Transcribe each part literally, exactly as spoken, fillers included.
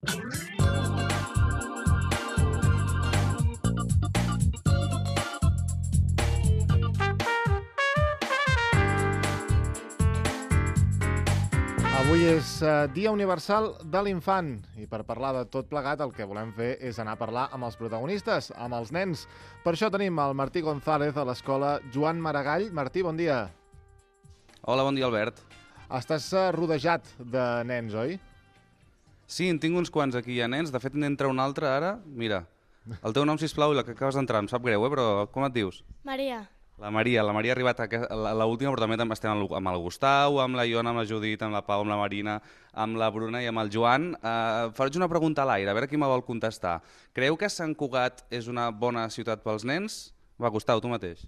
Avui és uh, Dia Universal de l'Infant i per parlar de tot plegat el que volem fer és anar a parlar amb els protagonistes, amb els nens. Per això tenim el Martí González a l'escola Joan Maragall. Martí, bon dia. Hola, bon dia, Albert. Estàs uh, rodejat de nens, oi? Sí, en tinc uns quants aquí, ja, nens. De fet, n'entra un altre ara. Mira, el teu nom, sisplau, i la que acabes d'entrar. Em sap greu, eh? Però com et dius? Maria. La Maria. La Maria ha arribat a l'última, però també estem amb el Gustau, amb la Iona, amb la Judit, amb la Pau, amb la Marina, amb la Bruna i amb el Joan. Uh, Faig una pregunta a l'aire, a veure qui me vol contestar. Creieu que Sant Cugat és una bona ciutat pels nens? Va, Gustau, tu mateix.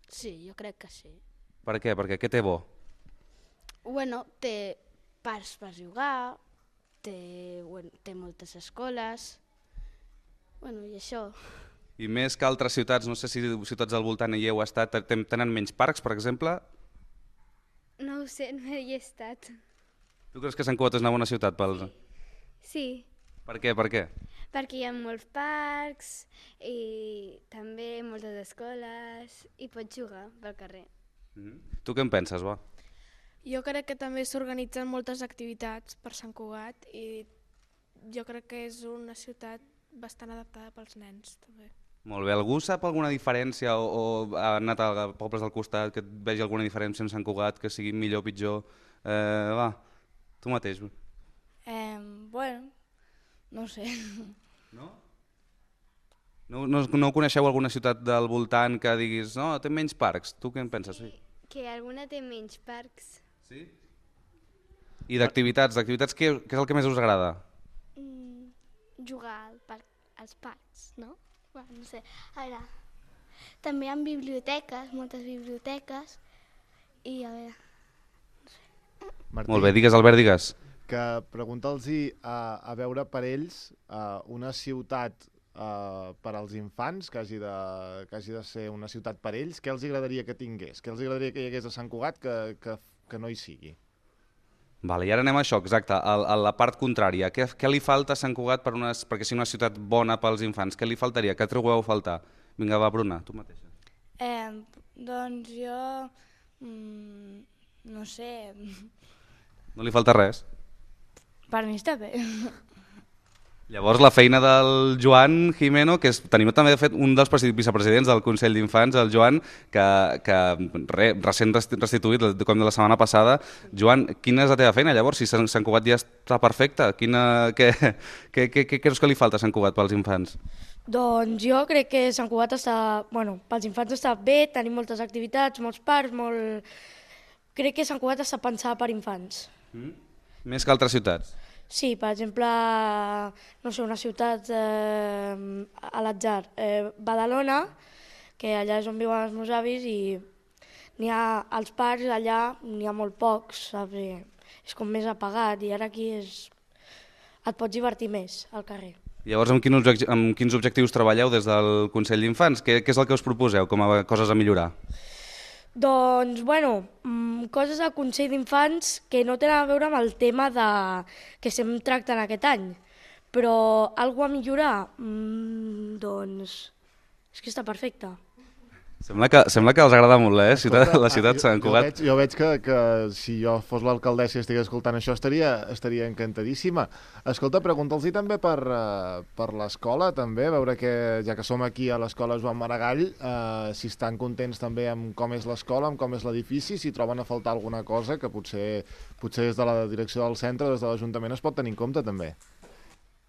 Sí, jo crec que sí. Per què? Perquè què té bo? Bueno, té parcs per jugar, té, bueno, té moltes escoles, bueno, i això. I més que altres ciutats, no sé si ciutats al voltant hi heu estat, tenen menys parcs, per exemple? No ho sé, no hi he estat. Tu creus que Sant Cugat és una bona ciutat pels... Sí, Per què, per què? perquè hi ha molts parcs i també moltes escoles i pots jugar pel carrer. Mm. Tu què en penses, va? Jo crec que també s'organitzen moltes activitats per Sant Cugat i jo crec que és una ciutat bastant adaptada pels nens, també. Molt bé. Algú sap alguna diferència o, o ha anat a pobles del costat que et vegi alguna diferència en Sant Cugat, que sigui millor o pitjor? Eh, va, tu mateix. Eh, bueno, no sé. No? No, no? No coneixeu alguna ciutat del voltant que diguis no, té menys parcs? Tu què en penses? Sí. Que alguna té menys parcs. Sí? I d'activitats, d'activitats què, què és el que més us agrada? Mm, jugar al parc, als parcs, no? Bueno, no sé. A veure, també hi ha biblioteques, moltes biblioteques, i a veure... Martí, Molt bé, digues, Albert, digues. que pregunta'ls a, a veure per ells uh, una ciutat uh, per als infants que hagi, de, que hagi de ser una ciutat per ells, què els agradaria que tingués? Què els agradaria que hi hagués a Sant Cugat que, que, que no hi sigui? Vale, i ara anem a això, exacte, a, a la part contrària. Què, què li falta a Sant Cugat per unes, perquè sigui una ciutat bona pels infants? Què li faltaria? Què trobeu a faltar? Vinga, va, Bruna, tu mateixa. Eh, doncs jo, mm, no sé, No li falta res? per mi està bé. Llavors la feina del Joan Jimeno, que és, tenim també de fet un dels vicepresidents del Consell d'Infants, el Joan, que, que re, recent restituït, com de la setmana passada. Joan, quina és la teva feina llavors? Si Sant Cugat ja està perfecte, quina, què, què, què, què creus que li falta a Sant Cugat pels infants? Doncs jo crec que Sant Cugat està, bueno, pels infants està bé, tenim moltes activitats, molts parcs, molt... Crec que Sant Cugat està pensat per infants. Mm? Més que altres ciutats? Sí, per exemple, no sé, una ciutat eh, a l'atzar, eh, Badalona, que allà és on viuen els meus avis i n'hi ha als parcs, allà n'hi ha molt pocs, saps? I és com més apagat i ara aquí és... et pots divertir més al carrer. Llavors, amb quins, objectius, amb quins objectius treballeu des del Consell d'Infants? Què, què és el que us proposeu com a coses a millorar? Doncs, bueno, mmm, coses al Consell d'Infants que no tenen a veure amb el tema de... que estem tractant aquest any, però alguna a millorar, mmm, doncs, és que està perfecte. Sembla que, sembla que els agrada molt, eh? Ciutat, la ciutat Sant Cugat. Jo, jo veig, jo veig que, que si jo fos l'alcaldessa i estigués escoltant això estaria, estaria encantadíssima. Escolta, pregunta'ls-hi també per, uh, per l'escola, també, veure que, ja que som aquí a l'escola Joan Maragall, uh, si estan contents també amb com és l'escola, amb com és l'edifici, si troben a faltar alguna cosa que potser, potser des de la direcció del centre, des de l'Ajuntament, es pot tenir en compte també.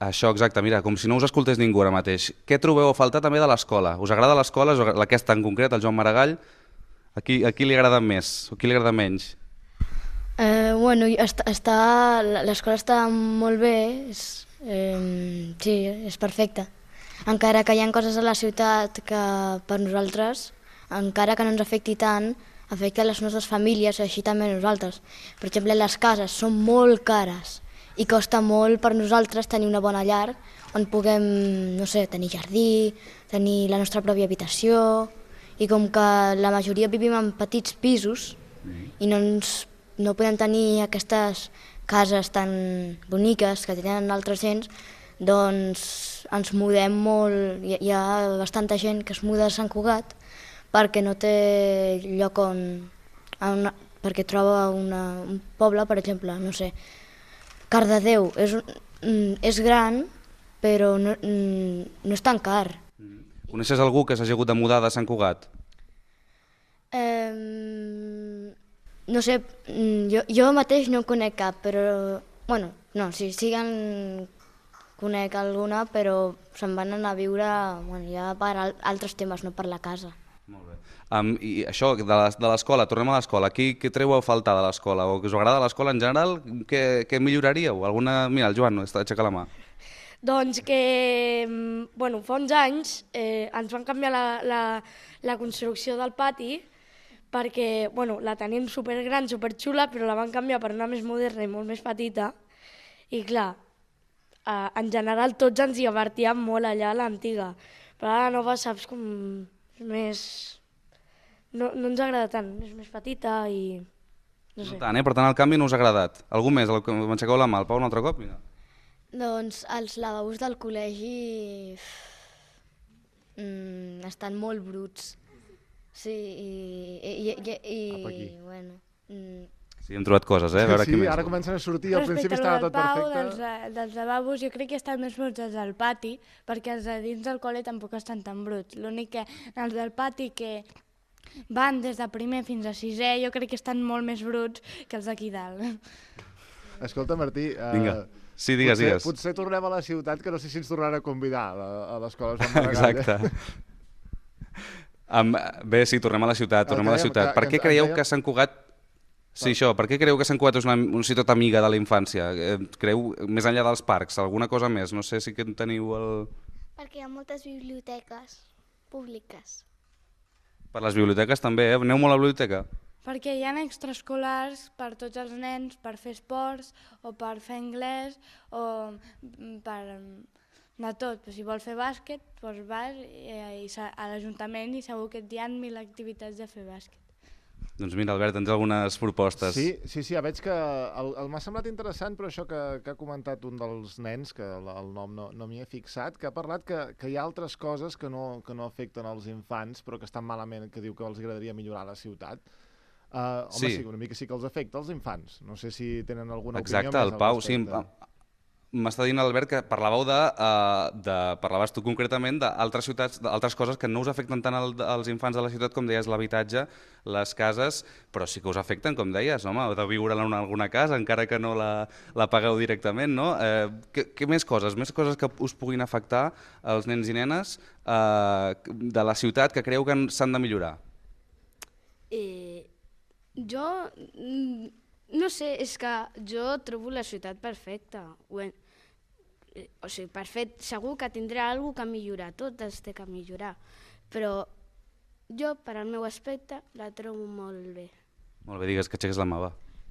Això, exacte. Mira, com si no us escoltés ningú ara mateix. Què trobeu a faltar també de l'escola? Us agrada l'escola, aquesta en concret, el Joan Maragall? A qui, a qui li agrada més o a qui li agrada menys? Eh, bueno, està, està, l'escola està molt bé, és, eh, sí, és perfecta. Encara que hi ha coses a la ciutat que per nosaltres, encara que no ens afecti tant, afecta les nostres famílies i així també a nosaltres. Per exemple, les cases són molt cares i costa molt per nosaltres tenir una bona llar on puguem, no sé, tenir jardí, tenir la nostra pròpia habitació, i com que la majoria vivim en petits pisos i no, ens, no podem tenir aquestes cases tan boniques que tenen altres gens, doncs ens mudem molt, hi, hi ha bastanta gent que es muda a Sant Cugat perquè no té lloc on, una, perquè troba una, un poble, per exemple, no sé, Cardedeu, és, és gran però no, no és tan car. Coneixes algú que s'hagi hagut de mudar de Sant Cugat? Eh, no sé, jo, jo mateix no en conec cap, però, bueno, no, si siguen conec alguna, però se'n van anar a viure, bueno, ja per al, altres temes, no per la casa. Molt bé. Um, I això, de l'escola, tornem a l'escola. Qui, què treu a faltar de l'escola? O que us agrada l'escola en general? Què, què milloraríeu? Alguna... Mira, el Joan està aixeca la mà. Doncs que, bueno, fa uns anys eh, ens van canviar la, la, la construcció del pati perquè, bueno, la tenim supergran, superxula, però la van canviar per una més moderna i molt més petita. I clar, eh, en general tots ens hi divertíem molt allà a l'antiga, però a la nova saps com més... No, no ens agrada tant, és més petita i... No sé. No tant, eh? Per tant, el canvi no us ha agradat. Algú més? M'aixeceu la mà, el Pau un altre cop? Mira. Doncs els lavabos del col·legi mm, estan molt bruts. Sí, i... i, i, i, i bueno... Mm. Sí, hem trobat coses, eh? A veure sí, què més. ara comencen a sortir, al principi estava tot Pau, perfecte. Dels, dels lavabos jo crec que estan més bruts els del pati, perquè els de dins del col·le tampoc estan tan bruts. L'únic que els del pati que van des de primer fins a sisè jo crec que estan molt més bruts que els d'aquí dalt. Escolta, Martí, uh, Vinga. Sí, digues, potser, digues. potser tornem a la ciutat, que no sé si ens tornaran a convidar a, a l'escola Joan Maragall. Exacte. Um, bé, sí, tornem a la ciutat, tornem a la ciutat. Per què creieu que Sant Cugat... Sí, això, per què creieu que Sant Cugat és una, una ciutat amiga de la infància? Creu, més enllà dels parcs, alguna cosa més? No sé si que teniu el... Perquè hi ha moltes biblioteques públiques. Per les biblioteques també, eh? Aneu molt a la biblioteca? Perquè hi ha extraescolars per tots els nens, per fer esports o per fer anglès o per de tot. Però si vols fer bàsquet, doncs vas i, i a l'Ajuntament i segur que hi ha mil activitats de fer bàsquet. Doncs mira, Albert, tens algunes propostes. Sí, sí, sí, ja veig que el, el m'ha semblat interessant, però això que, que ha comentat un dels nens, que el, el nom no, no m'hi he fixat, que ha parlat que, que hi ha altres coses que no, que no afecten els infants, però que estan malament, que diu que els agradaria millorar a la ciutat. Uh, home, sí. sí, una mica sí que els afecta als infants. No sé si tenen alguna Exacte, opinió el Pau, sí. M'està dient l'Albert que parlàveu de, uh, de... Parlaves tu concretament d'altres ciutats, d'altres coses que no us afecten tant al, als infants de la ciutat, com deies, l'habitatge, les cases, però sí que us afecten, com deies, home, de viure en alguna casa, encara que no la, la pagueu directament, no? Eh, què, què més coses? Més coses que us puguin afectar als nens i nenes eh, de la ciutat que creu que s'han de millorar? Eh, jo... No sé, és que jo trobo la ciutat perfecta. O sigui, perfecte, segur que tindrà alguna cosa que millorar, tot es té que millorar. Però jo, per al meu aspecte, la trobo molt bé. Molt bé, digues que aixeques la mà, va.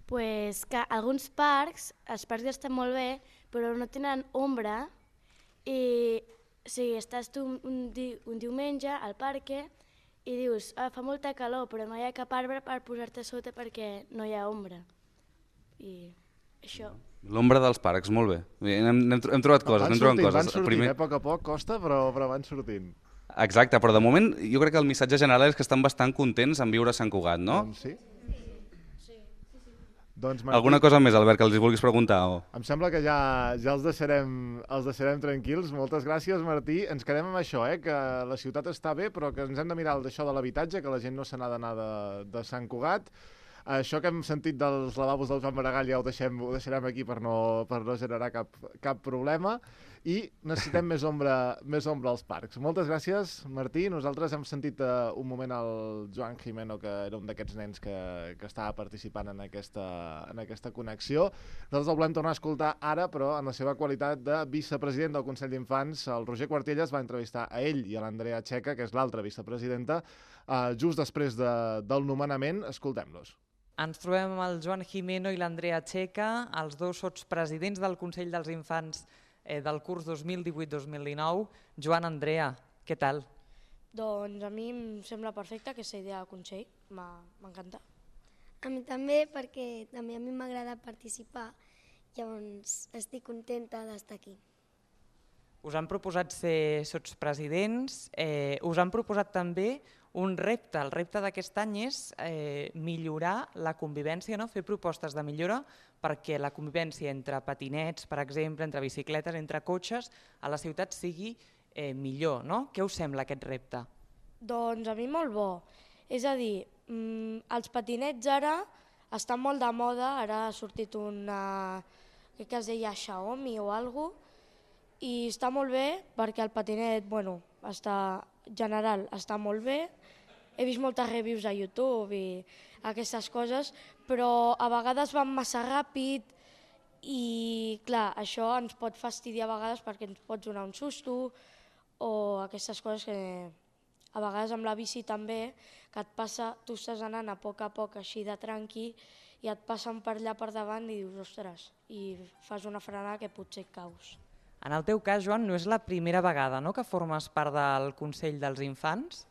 Pues que alguns parcs, els parcs estan molt bé, però no tenen ombra i o sigui, estàs tu un, un, di, un diumenge al parc i dius, ah, fa molta calor, però no hi ha cap arbre per posar-te sota perquè no hi ha ombra. I això. L'ombra dels parcs, molt bé. Hem, hem, hem trobat coses, van hem trobat sortint, coses. Van sortint, Primer... eh? A poc a poc costa, però, però van sortint. Exacte, però de moment jo crec que el missatge general és que estan bastant contents en viure a Sant Cugat, no? Doncs sí. Doncs, Martí, alguna cosa més, Albert, que els vulguis preguntar? O... Em sembla que ja, ja els, deixarem, els deixarem tranquils. Moltes gràcies, Martí. Ens quedem amb això, eh? Que la ciutat està bé, però que ens hem de mirar d'això de l'habitatge, que la gent no se n'ha d'anar de, de Sant Cugat. Això que hem sentit dels lavabos del Joan Maragall ja ho, deixem, ho deixarem aquí per no, per no generar cap, cap problema. I necessitem més ombra, més ombra als parcs. Moltes gràcies, Martí. Nosaltres hem sentit uh, un moment el Joan Jimeno, que era un d'aquests nens que, que estava participant en aquesta, en aquesta connexió. Nosaltres el volem tornar a escoltar ara, però en la seva qualitat de vicepresident del Consell d'Infants. El Roger Cuartellas va entrevistar a ell i a l'Andrea Checa, que és l'altra vicepresidenta, uh, just després de, del nomenament. Escoltem-los. Ens trobem amb el Joan Jimeno i l'Andrea Checa, els dos sotspresidents del Consell dels Infants eh, del curs dos mil divuit dos mil dinou. Joan, Andrea, què tal? Doncs a mi em sembla perfecte aquesta idea del Consell, m'encanta. A mi també, perquè també a mi m'agrada participar Llavors estic contenta d'estar aquí. Us han proposat ser sotspresidents, eh, us han proposat també un repte. El repte d'aquest any és eh, millorar la convivència, no? Fer propostes de millora perquè la convivència entre patinets, per exemple, entre bicicletes, entre cotxes, a la ciutat sigui eh, millor, no? Què us sembla aquest repte? Doncs a mi molt bo. És a dir, mmm, els patinets ara estan molt de moda, ara ha sortit una, crec que es deia Xiaomi o alguna cosa, i està molt bé perquè el patinet, bueno, està, en general està molt bé. He vist moltes reviews a YouTube i aquestes coses, però a vegades van massa ràpid i, clar, això ens pot fastidiar a vegades perquè ens pot donar un susto o aquestes coses que a vegades amb la bici també, que et passa, tu estàs anant a poc a poc així de tranqui i et passen per allà per davant i dius, ostres, i fas una frenada que potser et caus. En el teu cas, Joan, no és la primera vegada, no?, que formes part del Consell dels Infants?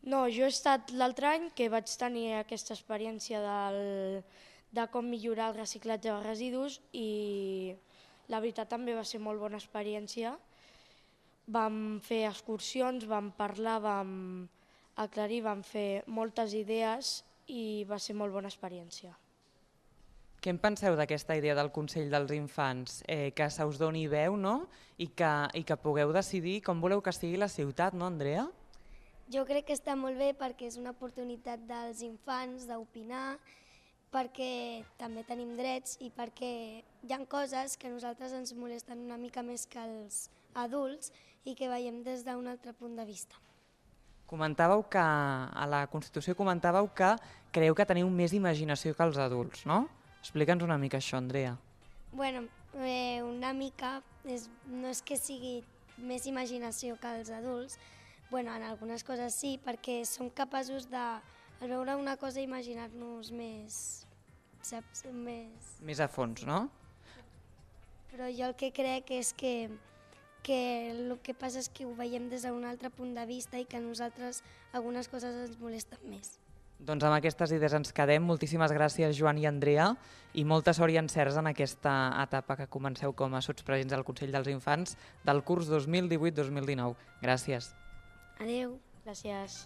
No, jo he estat l'altre any que vaig tenir aquesta experiència del, de com millorar el reciclatge de residus i la veritat també va ser molt bona experiència. Vam fer excursions, vam parlar, vam aclarir, vam fer moltes idees i va ser molt bona experiència. Què en penseu d'aquesta idea del Consell dels Infants? Eh, que se us doni veu, no? I que, i que pugueu decidir com voleu que sigui la ciutat, no, Andrea? Jo crec que està molt bé perquè és una oportunitat dels infants d'opinar, perquè també tenim drets i perquè hi ha coses que a nosaltres ens molesten una mica més que els adults i que veiem des d'un altre punt de vista. Comentàveu que, a la Constitució comentàveu que creieu que teniu més imaginació que els adults, no? Explica'ns una mica això, Andrea. Bueno, eh, una mica, és, no és que sigui més imaginació que els adults, bueno, en algunes coses sí, perquè som capaços de, al veure una cosa, imaginar-nos més, saps? Més... Més a fons, no? Però jo el que crec és que, que el que passa és que ho veiem des d'un altre punt de vista i que a nosaltres algunes coses ens molesten més. Doncs amb aquestes idees ens quedem. Moltíssimes gràcies, Joan i Andrea, i molta sort i encerts en aquesta etapa que comenceu com a sotspresidents del Consell dels Infants del curs dos mil divuit dos mil dinou. Gràcies. Adéu. Gràcies.